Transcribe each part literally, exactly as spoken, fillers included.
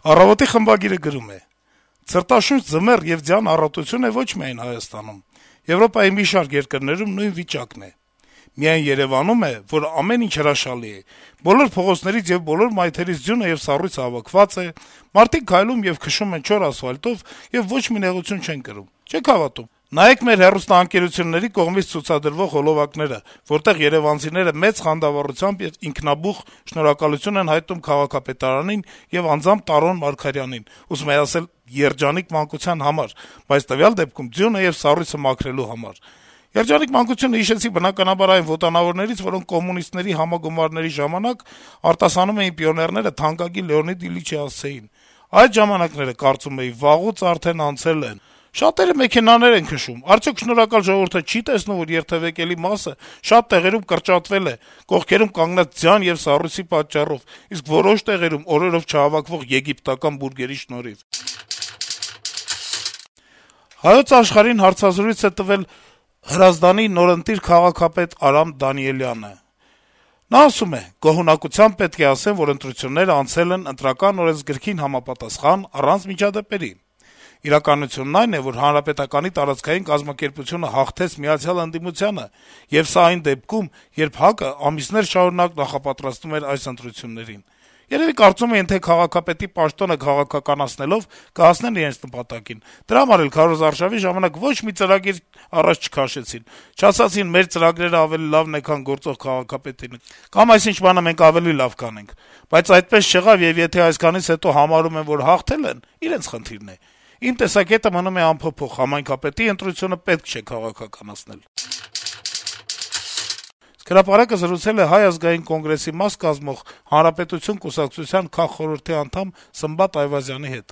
«Առավոտ»-ի խմբագիրը գրում է. - «Ցրտաշունչ ձմեռ եւ ձյան առատություն է ոչ միայն Հայաստանում. Եվրոպայի մի շարք երկրներում նույն վիճակն է: Միայն Երեւանում է, որ ամեն ինչ հրաշալի է: Բոլոր փողոցներից եւ բոլոր մայթերից ձյունը եւ սառույցը հավաքված է, մարդիկ քայլում եւ քշում են չոր ասֆալտով եւ ոչ մի նեղություն չեն կրում: Չեք հավատում: Նայեք մեր հեռուստաընկերությունների կողմից ցուցադրվող հոլովակները, որտեղ երեւանցիները մեծ խանդավառությամբ եւ ինքնաբուխ շնորհակալություն են հայտնում քաղաքապետարանին եւ անձամբ Տարոն Մարգարյանին, ուզում էի ասել երջանիկ մանկության համար, բայց տվյալ դեպքում ձյունը եւ սառույցը մաքրելու համար: Երջանիկ մանկությունը հիշեցի բնականաբար այն ոտանավորներից, որոնք կոմունիստների համագումարների ժամանակ արտասանում էին պիոներները թանկագին Լեոնիդ Իլիչի հասցեին: Այդ ժամանակները, կարծում էի, վաղուց արդեն անցել են: Շատերը մեքենաներ են քշում: Արդյոք շնորհակալ ժողովուրդը չի տեսնում, որ երթեւեկելի մասը շատ տեղերում կրճատվել է, կողքերում կանգնած ձյան եւ սառույցի պատճառով, իսկ որոշ տեղերում օրերով չհավաքվող եգիպտական բուրգերի շնորհիվ»: «Հայոց Աշխարհ»-ին հարցազրույց է տվել Հրազդանի նորընտիր քաղաքապետ Արամ Դանիելյանը: Նա ասում է. - «Գոհունակությամբ պետք է ասեմ, որ ընտրություններն անցել են Ընտրական օրենսգրքին համապատասխան, առանց միջադեպերի: Իրականությունն այն է, որ Հանրապետականի տարածքային կազմակերպությունը հաղթեց միացյալ ընդդիմությանը, եւ սա այն դեպքում, երբ ՀԱԿ-ը ամիսներ շարունակ նախապատրաստում էր այս ընտրություններին: Երեւի կարծում էին, թե քաղաքապետի պաշտոնը քաղաքականացնելով կհասնեն իրենց նպատակին: Դրա համար էլ քարոզարշավի ժամանակ ոչ մի ծրագիր առաջ չքաշեցին, չասացին` մեր ծրագրերը ավելի լավն է, քան գործող քաղաքապետի, կամ այսինչ բանը մենք ավելի լավ կանենք: Բայց այդպես չեղավ, եւ եթե այսքանից հետո համարում են, որ հաղթել են, իրենց խնդիրն է: Իմ տեսակետը մնում է անփոփոխ. համայնքապետի ընտրությունը պետք չէ քաղաքականացնել»: «Հրապարակ»-ը զրուցել է Հայ ազգային կոնգրեսի մաս կազմող Հանրապետություն կուսակցության քաղխորհրդի անդամ Սմբատ Այվազյանի հետ: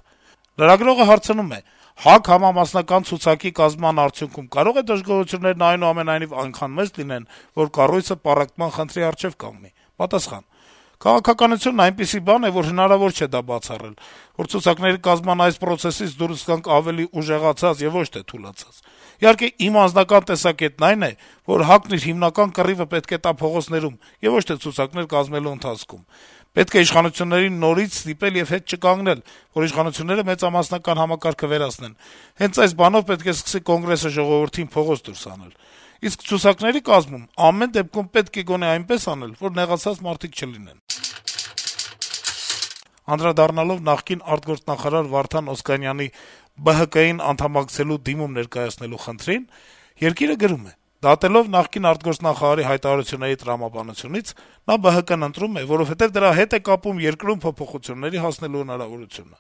Լրագրողը հարցնում է. - «ՀԱԿ համամասնական ցուցակի կազմման արդյունքում կարո՞ղ է դժգոհություններն այնուամենայնիվ այնքան մեծ լինեն, որ կառույցը պառակտման խնդրի առջեւ կանգնի»: Պատասխան. - «Քաղաքականությունն այնպիսի բան է, որ հնարավոր չէ դա բացառել, որ ցուցակների կազմման այս պրոցեսից դուրս գանք ավելի ուժեղացած եւ ոչ թե թուլացած: Իհարկե, իմ անձնական տեսակետն այն է, որ ՀԱԿ-ն իր հիմնական կռիվը պետք է տա փողոցներում եւ ոչ թե ցուցակներ կազմելու ընթացքում: Պետք է իշխանություններին նորից ստիպել եւ հետ չկանգնել, որ իշխանությունները մեծամասնական համակարգը վերացնեն: Հենց այս բանով պետք է սկսի Կոնգրեսը ժողովրդին փողոց դուրս հանել: Իսկ ցուցակների կազմում ամեն դեպքում պետք է գոնե այնպես անել, որ նեղացած մարդիկ չլինեն»: Անդրադառնալով նախկին արտգործնախարար Վարդան Օսկանյանի ԲՀԿ-ին անդամակցելու դիմում ներկայացնելու խնդրին «Երկիր»-ը գրում է. - «Դատելով նախկին արտգործնախարարի հայտարարությունների տրամաբանությունից, նա ԲՀԿ-ն ընտրում է, որովհետեւ դրա հետ է կապում երկրում փոփոխությունների հասնելու հնարավորությունը: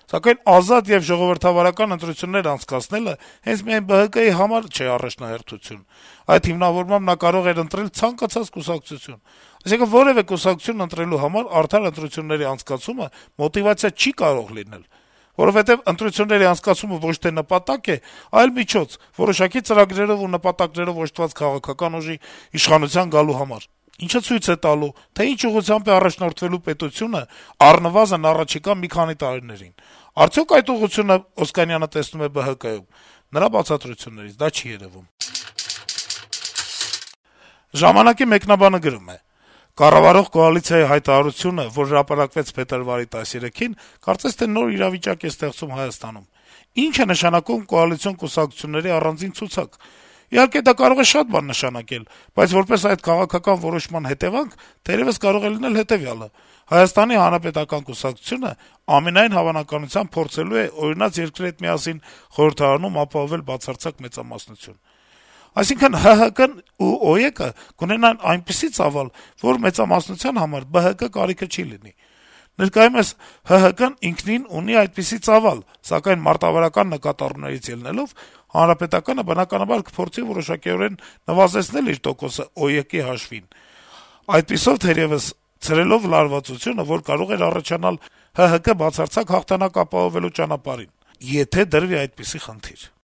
Սակայն ազատ եւ ժողովրդավարական ընտրություններ անցկացնելը հենց միայն ԲՀԿ-ի համար չէ առաջնահերթություն: Այդ հիմնավորմամբ նա կարող էր ընտրել ցանկացած կուսակցություն: Այսինքն` որեւէ կուսակցություն ընտրելու համար արդար ընտրությունների անցկացումը մոտիվացիա չի կարող լինել: Որովհետեւ ընտրությունների անցկացումը ոչ թե նպատակ է, այլ միջոց` որոշակի ծրագրերով ու նպատակներով օժտված քաղաքական ուժի իշխանության գալու համար, ինչը ցույց է տալու, թե ինչ ուղղությամբ է առաջնորդվելու պետությունը առնվազն առաջիկա մի քանի տարիներին: Արդյո՞ք այդ ուղղությունը Օսկանյանը տեսնում է ԲՀԿ-ում: Նրա բացատրություններից դա չի երեւում»: «Ժամանակ»-ի մեկնաբանը գրում է. - «Կառավարող կոալիցիայի հայտարարությունը, որ հրապարակվեց փետրվարի տասներեքին, կարծես թե նոր իրավիճակ է ստեղծում Հայաստանում: Ի՞նչ է նշանակում կոալիցիոն կուսակցությունների առանձին ցուցակ: Իհարկե, դա կարող է շատ բան նշանակել, բայց որպես այդ քաղաքական որոշման հետեւանք թերեւս կարող է լինել հետեւյալը. Հայաստանի Հանրապետական կուսակցությունը ամենայն հավանականությամբ փորձելու է օրինակ երկրի հետ միասին խորհրդարանում ապահովել բացարձակ մեծամասնություն: Այսինքն` ՀՀԿ-ն ու ՕԵԿ-ը կունենան այնպիսի ծավալ, որ մեծամասնության համար ԲՀԿ կարիքը չի լինի: Ներկայումս ՀՀԿ-ն ինքնին ունի այդպիսի ծավալ, սակայն մարտավարական նկատառումներից ելնելով, Հանրապետականը բնականաբար կփորձի որոշակիորեն նվազեցնել իր տոկոսը ՕԵԿ-ի հաշվին, այդպիսով թերեւս ցրելով լարվածությունը, որ կարող էր առաջանալ ՀՀԿ բացարձակ հաղթանակ ապահովելու ճանապարհին, եթե դրվի այդպիսի խնդիր»: